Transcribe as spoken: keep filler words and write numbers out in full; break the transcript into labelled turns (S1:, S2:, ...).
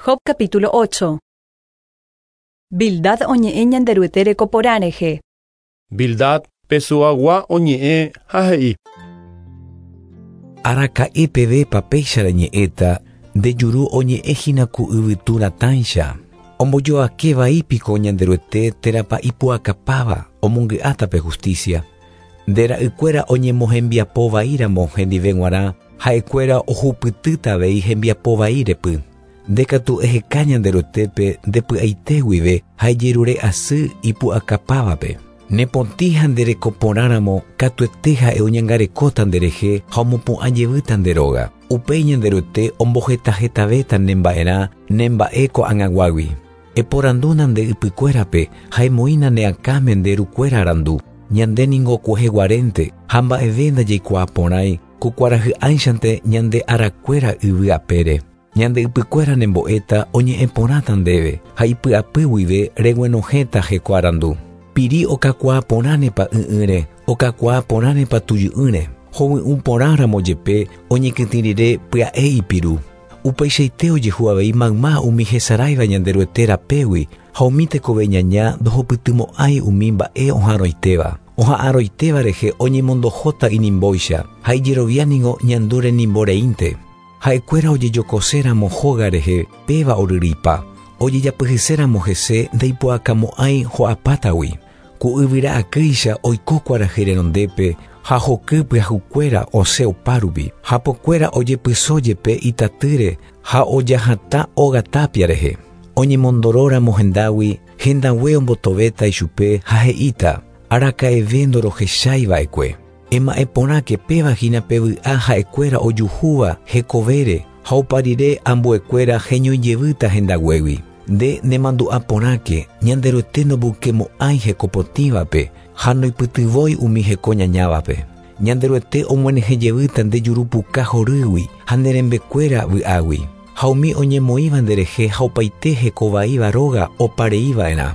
S1: Job capítulo ocho. Bildad oñe'ẽ Ñanderuete reko porã rehe.
S2: Bildad pesuagua oñe'ẽ ha he'i.
S3: Araka'e pevépa péicha reñe'ẽta nde juru oñe'ẽhína ku yvytu ratãicha. Ombojoake vaípiko Ñanderuete térãpa ipu'akapáva omongy'áta pe justicia. Nde ra'ykuéra oñemohembiapo vaíramo hendive g̃uarã ha'ekuéra ohupytýta avei hembiapo vai repy. Nde katu eheka Ñanderuetépe ndepy'aite guive ha ejerure asy ipu'akapávape. Nepotĩ ha nderekoporãramo katuete ha'e oñangarekóta nderehe ha omopu'ã jevýta nde róga. Upéi Ñanderuete ombohetahetavéta nemba'erã nemba'e ko'ag̃aguágui. Eporandúna nde ypykuérape ha emoĩna ne akãme nde rukuéra arandu. Ñande ningo kueheguarénte ha mba'eve ndajaikuaaporãi ku kuarahy'ãichante ñande arakuéra yvy apére. Ñande ypykuéra nembo'éta oñe'ẽporãta ndéve ha ipy'apy guive reguenohẽta heko arandu. Piri okakuaaporãnepa ỹ'ỹre, okakuaaporãnepa tujy'ỹre. Hovy'ũporãramo jepe oñekytĩ rire pya'e ipiru. Upeichaite ojehu avei mayma umi hesaráiva Ñanderuete rapégui ha umi tekove ñaña ndohupytymo'ãi umi mba'e oha'arõitéva. Oha'arõitéva rehe oñemondohóta inimbóicha ha ijerovia ningo ñandu renimboreínte. Ha'ekuéra ojejokoséramo hóga rehe péva oryrýipa. Ojejapyhyséramo hese ndaipu'akamo'ãi ho'apátagui. Ku yvyra akýicha oiko kuarahy renondépe ha hoky pyahukuéra osẽ opárupi. Hapokuéra ojepyso jepe itatýre ha ojahatã óga tápia rehe. Oñemondoróramo hendágui hendague ombotovéta ichupe ha he'íta araka'eve ndorohechaiva'ekue. Ema'ẽporãke péva hína pe vy'a ha'ekuéra ojuhúva hekovére ha opa rire ambuekuéra heñoijevýta hendaguégui. Nde nemandu'aporãke Ñanderuete ndomboykemo'ãi hekopotĩvape ha noipytyvõi umi heko ñañávape. Ñanderuete omyenyhẽjevýta nde jurupuka horýgui ha ne rembekuéra vy'águi. Ha umi oñemoĩva nderehe ha opaite hekovaíva róga opareiva'erã.